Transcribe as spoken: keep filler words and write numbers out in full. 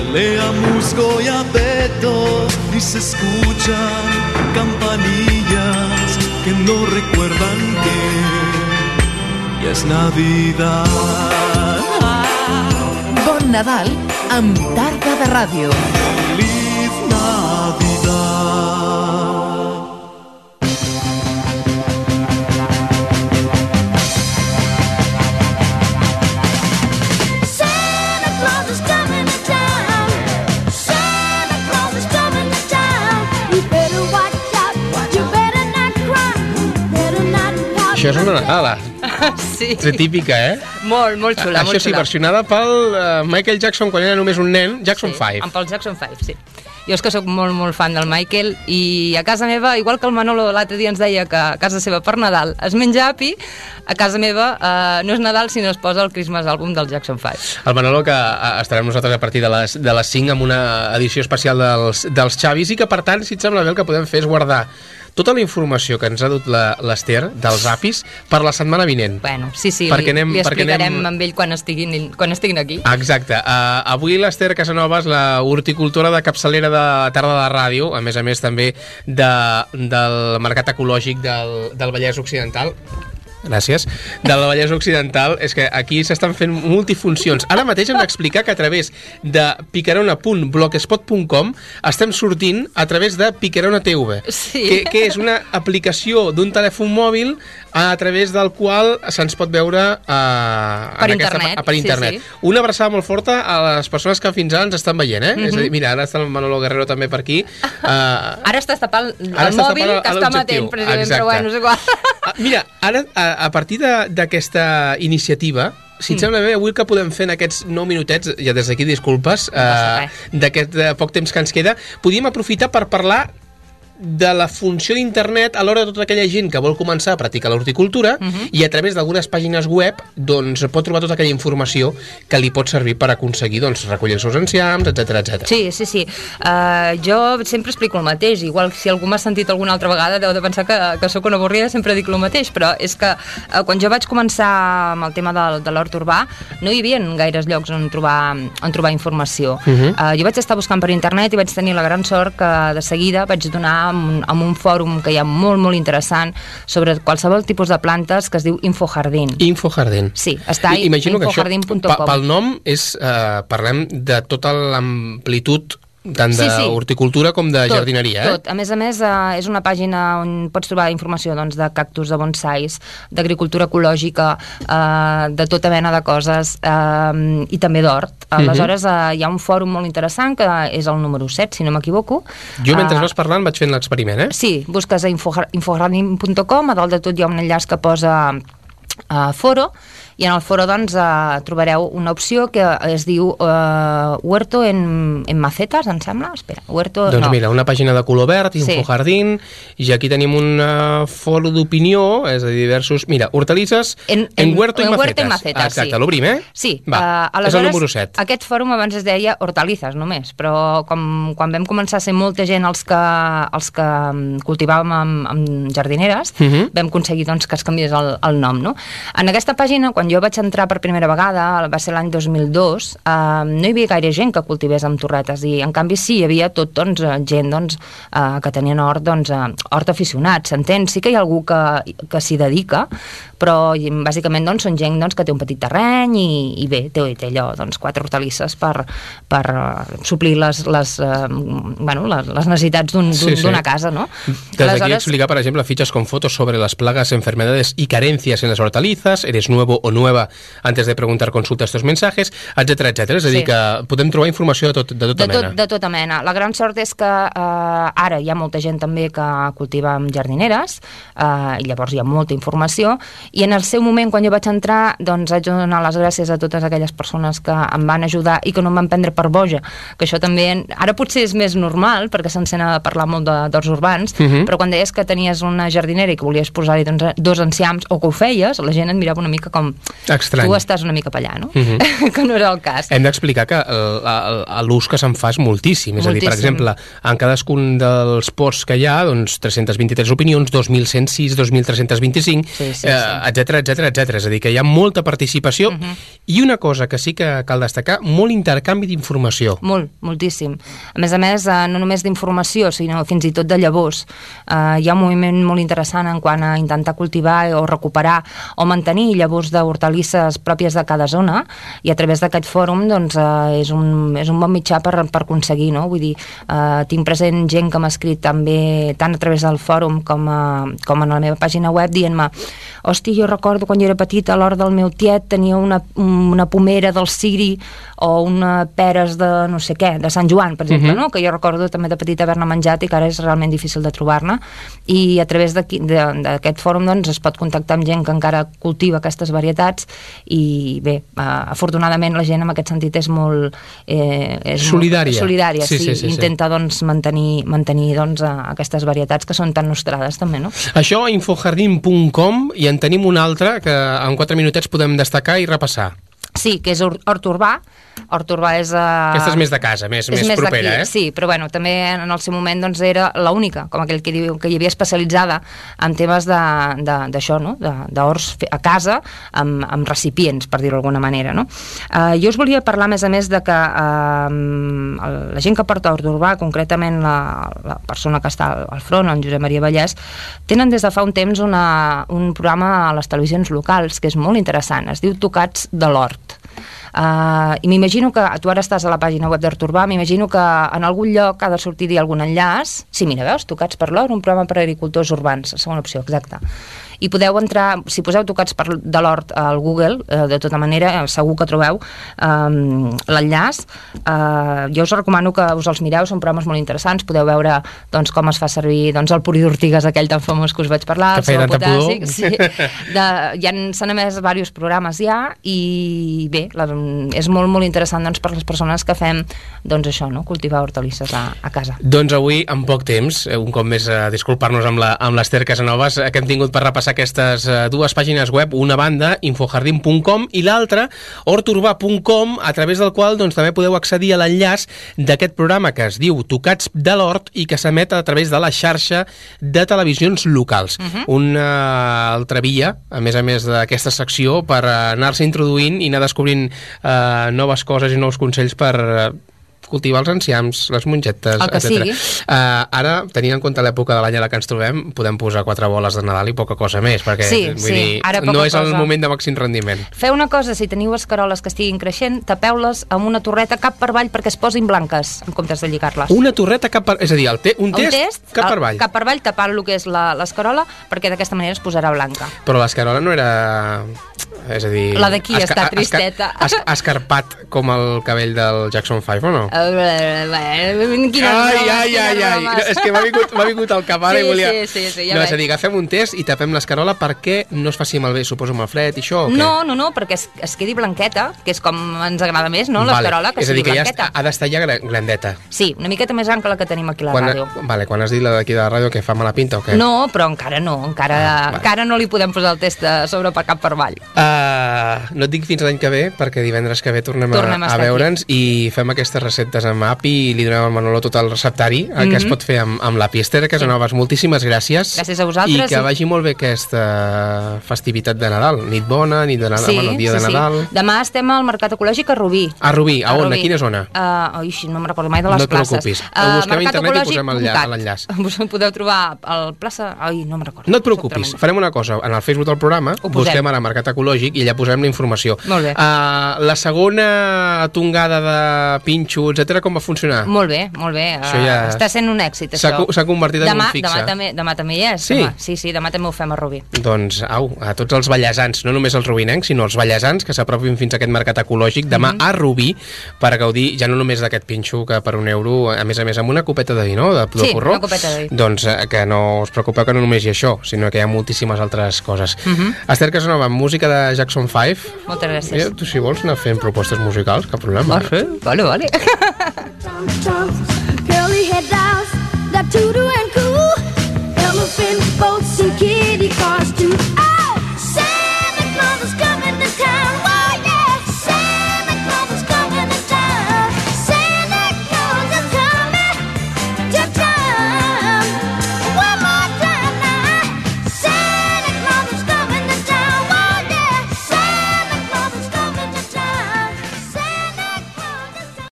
pelea musgo y abeto y se escuchan campanillas que no recuerdan que ya es Navidad. Bon Nadal amb Tarda de Ràdio. Feliz Navidad. Això és una Nadala. Sí. És típica, eh? Molt, molt xula. Això molt sí, xula. versionada pel uh, Michael Jackson quan era només un nen, Jackson sí, five. amb el Jackson five, sí. Jo és que sóc molt, molt fan del Michael i a casa meva, igual que el Manolo l'altre dia ens deia que a casa seva per Nadal es menja api, a casa meva eh, no és Nadal si no es posa el Christmas Album del Jackson five. El Manolo, que uh, estarem nosaltres a partir de les, de les cinc amb una edició especial dels, dels Xavis i que, per tant, si et sembla bé, el que podem fer és guardar tota la informació que ens ha dut l'Ester dels apis per la setmana vinent. Bueno, sí, sí, perquè li, anem, li explicarem anem... amb ell quan estiguin, quan estiguin aquí. Exacte. Uh, avui l'Ester Casanovas, la horticultora de capçalera de Tarda de Ràdio, a més a més també de, del mercat ecològic del, del Vallès Occidental, gràcies, del Vallès Occidental, és que aquí s'estan fent multifuncions. Ara mateix hem d'explicar que a través de picarona punt blogspot punt com estem sortint a través de Picarona T V, sí. que, que és una aplicació d'un telèfon mòbil a través del qual se'ns pot veure uh, per, en internet, aquesta, per internet. Sí, sí. Una abraçada molt forta a les persones que fins ara ens estan veient, eh? Mm-hmm. És a dir, mira, ara està el Manolo Guerrero també per aquí. Uh, ara estàs tapant el ara estàs mòbil tapant que està matent, precisament, però bueno, no sé qual. Uh, mira, ara, a, a partir d'aquesta iniciativa, si et sembla bé, avui el que podem fer en aquests nou minutets, ja des d'aquí disculpes, uh, d'aquest uh, poc temps que ens queda, podíem aprofitar per parlar de la funció d'internet a l'hora de tota aquella gent que vol començar a practicar l'horticultura uh-huh. i a través d'algunes pàgines web doncs pot trobar tota aquella informació que li pot servir per aconseguir doncs, recollir els seus enciams, etcètera, etcètera. Sí, sí, sí. Uh, jo sempre explico el mateix, igual si algú m'ha sentit alguna altra vegada deu de pensar que, que sóc una avorrida, sempre dic el mateix, però és que uh, quan jo vaig començar amb el tema de, de l'hort urbà no hi havia gaires llocs on trobar, on trobar informació. Uh-huh. uh, jo vaig estar buscant per internet i vaig tenir la gran sort que de seguida vaig donar amb un, amb un fòrum que hi ha molt, molt interessant sobre qualsevol tipus de plantes que es diu Infojardín. Infojardín. Sí, està a infojardín punt com. Pel nom és, eh, parlem de tota l'amplitud tant d'horticultura sí, sí. com de tot, jardineria. Eh? Tot. A més a més, eh, és una pàgina on pots trobar informació doncs, de cactus, de bonsais, d'agricultura ecològica, eh, de tota mena de coses, eh, i també d'hort. Aleshores, eh, hi ha un fòrum molt interessant, que és el número set, si no m'equivoco. Jo, mentre uh, vas parlant, vaig fent l'experiment, eh? Sí, busques a infojardín punt com, a dalt de tot hi ha un enllaç que posa a foro, i en el foro doncs uh, trobareu una opció que es diu uh, Huerto en, en macetas, em sembla? Espera, Huerto... Doncs no. mira, una pàgina de color verd, Infojardín, sí. I aquí tenim un uh, foro d'opinió, és a dir, diversos... Mira, hortalisses en, en, en Huerto en, i Macetas. En macetas Exacte, sí. L'obrim, eh? Sí. Va, uh, és el número set. Aquest fòrum abans es deia hortalisses només, però com, quan vam començar a ser molta gent els que, els que cultivàvem amb, amb jardineres, uh-huh. vam aconseguir doncs, que es canviés el, el nom, no? En aquesta pàgina, quan jo vaig entrar per primera vegada, va ser l'any dos mil dos, eh, no hi havia gaire gent que cultivés amb torretes, i en canvi sí, hi havia tot doncs, gent doncs, eh, que tenien hort, doncs, eh, hort aficionat, s'entén? Sí que hi ha algú que, que s'hi dedica, però bàsicament doncs, són gent doncs, que té un petit terreny i, i bé, té, té allò, doncs, quatre hortalisses per, per uh, suplir les, les, uh, bueno, les, les necessitats d'una un, sí, sí. casa, no? Des d'aquí explicar, per exemple, fichas con fotos sobre las plagas, enfermedades y carencias en las hortalizas, eres nuevo o nueva antes de preguntar, consulta estos mensajes, etcètera, etcètera. És a dir, sí. que podem trobar informació de, tot, de tota de tot, mena. De tota mena. La gran sort és que eh, ara hi ha molta gent també que cultiva amb jardineres, eh, i llavors hi ha molta informació, i en el seu moment, quan jo vaig entrar, doncs haig de donar les gràcies a totes aquelles persones que em van ajudar i que no em van prendre per boja, que això també, ara potser és més normal, perquè se'n sent a parlar molt d'horts urbans, uh-huh. però quan deies que tenies una jardinera i que volies posar-hi doncs, dos enciams, o que ho feies, la gent et mirava una mica com, Estrany. tu estàs una mica per allà, no? Uh-huh. Que no era el cas. Hem d'explicar que l'ús que se'n fa és moltíssim. És moltíssim. A dir, per exemple, en cadascun dels posts que hi ha, doncs, tres-centes vint-i-tres opinions, dos mil cent sis, dos mil tres-cents vint-i-cinc, sí, sí, eh, sí. etcètera, etcètera, etcètera. És a dir, que hi ha molta participació uh-huh. i una cosa que sí que cal destacar, molt intercanvi d'informació. Molt, moltíssim. A més a més, eh, no només d'informació, sinó fins i tot de llavors. Eh, hi ha un moviment molt interessant en quant a intentar cultivar o recuperar o mantenir llavors d'hortalisses pròpies de cada zona, i a través d'aquest fòrum doncs, eh, és, un, és un bon mitjà per, per aconseguir, no? Vull dir, eh, tinc present gent que m'ha escrit també tant a través del fòrum com, a, com a la meva pàgina web dient-me, hosti, jo recordo quan jo era petita a l'hora del meu tiet tenia una, una pomera del ciri o una peres de no sé què, de Sant Joan, per exemple, uh-huh. no? Que jo recordo també de petita haver-ne menjat i que ara és realment difícil de trobar-ne, i a través d'aquest fòrum doncs, es pot contactar amb gent que encara cultiva aquestes varietats, i bé, uh, afortunadament la gent en aquest sentit és molt eh, és solidària, molt, solidària sí, sí, sí, sí, intenta doncs, mantenir, mantenir doncs, aquestes varietats que són tan nostrades també, no? Això a infojardín punt com, i en tenim un altre que en quatre minutets podem destacar i repassar. Sí, que és Hort Urbà. Hort Urbà és... Uh... Aquesta és més de casa, més, més, més propera, eh? Sí, però bueno, també en el seu moment doncs, era l'única, com aquell que diu, que hi havia especialitzada en temes d'això, no? D'horts a casa, amb, amb recipients, per dir-ho d'alguna manera, no? Uh, jo us volia parlar, a més a més, de que uh, la gent que porta Hort Urbà, concretament la, la persona que està al front, en Josep Maria Vallès, tenen des de fa un temps una, un programa a les televisions locals que és molt interessant, es diu Tocats de l'Hort. Uh, i m'imagino que, tu ara estàs a la pàgina web d'Hort Urbà, m'imagino que en algun lloc ha de sortir-hi algun enllaç. Sí, mira, veus, Tocats per l'Hort, un programa per a agricultors urbans, segona opció, exacte. I podeu entrar, si poseu Tocats per de l'Hort al Google, eh, de tota manera, segur que trobeu eh, l'enllaç. Eh, jo us recomano que us els mireu, són programes molt interessants, podeu veure doncs, com es fa servir doncs, el purí d'ortigues, aquell tan famós que us vaig parlar, que feia tanta pudor. Sí. De, ja s'han emès diversos programes ja, i bé, la, és molt, molt interessant doncs, per les persones que fem doncs, això, no? Cultivar hortalisses a, a casa. Doncs avui, en poc temps, un cop més a disculpar-nos amb l'Ester Casanovas, que hem tingut per repassar aquestes uh, dues pàgines web, una banda, infojardín punt com, i l'altra, horturbà punt com, a través del qual doncs, també podeu accedir a l'enllaç d'aquest programa que es diu Tocats de l'Hort i que s'emet a través de la xarxa de televisions locals. Uh-huh. Una altra via, a més a més d'aquesta secció, per anar-se introduint i anar descobrint uh, noves coses i nous consells per... Uh, cultivar els enciams, les mongetes, etcètera. Uh, ara, tenint en compte l'època de l'any a la que ens trobem, podem posar quatre boles de Nadal i poca cosa més, perquè sí, vull sí, dir, ara no és cosa. el moment de màxim rendiment. Feu una cosa, si teniu escaroles que estiguin creixent, tapeu-les amb una torreta cap per avall perquè es posin blanques, en comptes de lligar-les. Una torreta cap per... És a dir, el te... un, test, un test cap per avall. Cap per avall, tapant el que és l'escarola, perquè d'aquesta manera es posarà blanca. Però l'escarola no era... És a dir... La d'aquí esca... està tristeta. Esca... Escarpat com el cabell del Jackson five, o no? Quina ai, ai, ai, ai. No, és que m'ha vingut, vingut al cap ara sí, i volia... Sí, sí, sí, ja no, veig. És a dir, agafem un test i tapem l'escarola perquè no es faci malbé, suposo, amb el fred i això, o què? No, no, no, perquè es, es quedi blanqueta, que és com ens agrada més, no? L'escarola, vale. que sigui blanqueta. És a dir, que ja ha d'estar ja grandeta. Sí, una miqueta més gran que la que tenim aquí a la quan, ràdio. Vale, quan has dit la d'aquí de la ràdio, que fa mala pinta o què? No, però encara no, encara, ah, vale. encara no li podem posar el test sobre per cap per avall. Uh, no et dic fins l'any que ve, perquè divendres que ve tornem, tornem a, a veure'ns i fem aquestes receptes amb api i li donem al Manolo tot el receptari, el mm-hmm. que es pot fer amb, amb l'api. Ester Casanovas, sí. moltíssimes gràcies. Gràcies a vosaltres. I que vagi molt bé aquesta festivitat de Nadal. Nit bona, nit de Nadal, sí, bueno, dia sí, de Nadal. Sí. Demà estem al Mercat Ecològic a Rubí. A Rubí, a, a on? Rubí. A quina zona? Uh, oi, no me'n recordo mai de les no places. No et preocupis. Uh, busquem a internet i posem l'enllaç. Us podeu trobar al plaça... Ai, no me'n recordo. No et preocupis. Farem una cosa. En el Facebook del programa busquem ara Mercat Ecològic i allà posem la informació. Molt bé. Uh, la segona tongada de pinxo, etcètera, com va funcionar? Molt bé, molt bé. Uh, ja està sent un èxit, això. S'ha convertit en demà, un fixe. Demà també, demà també hi és. Sí? Demà. Sí, sí, demà també ho fem a Rubí. Doncs, au, a tots els vallesans, no només els rubinencs, sinó els vallesans que s'apropin fins a aquest mercat ecològic demà mm-hmm. a Rubí per gaudir ja no només d'aquest pinxo que per un euro, a més a més amb una copeta de vi, no? De, de sí, porró. una copeta de vi. Doncs eh, que no us preocupeu que no només hi ha això, sinó que hi ha moltíssimes altres coses. Mm-hmm. Ester Casanova, música de Jackson five. Moltes gràcies. Mira, tu si vols anar fent propostes musicals, cap problema. Va, vale, vale. Curly head dolls that toodle and coo, elephant boats and kitty cars too.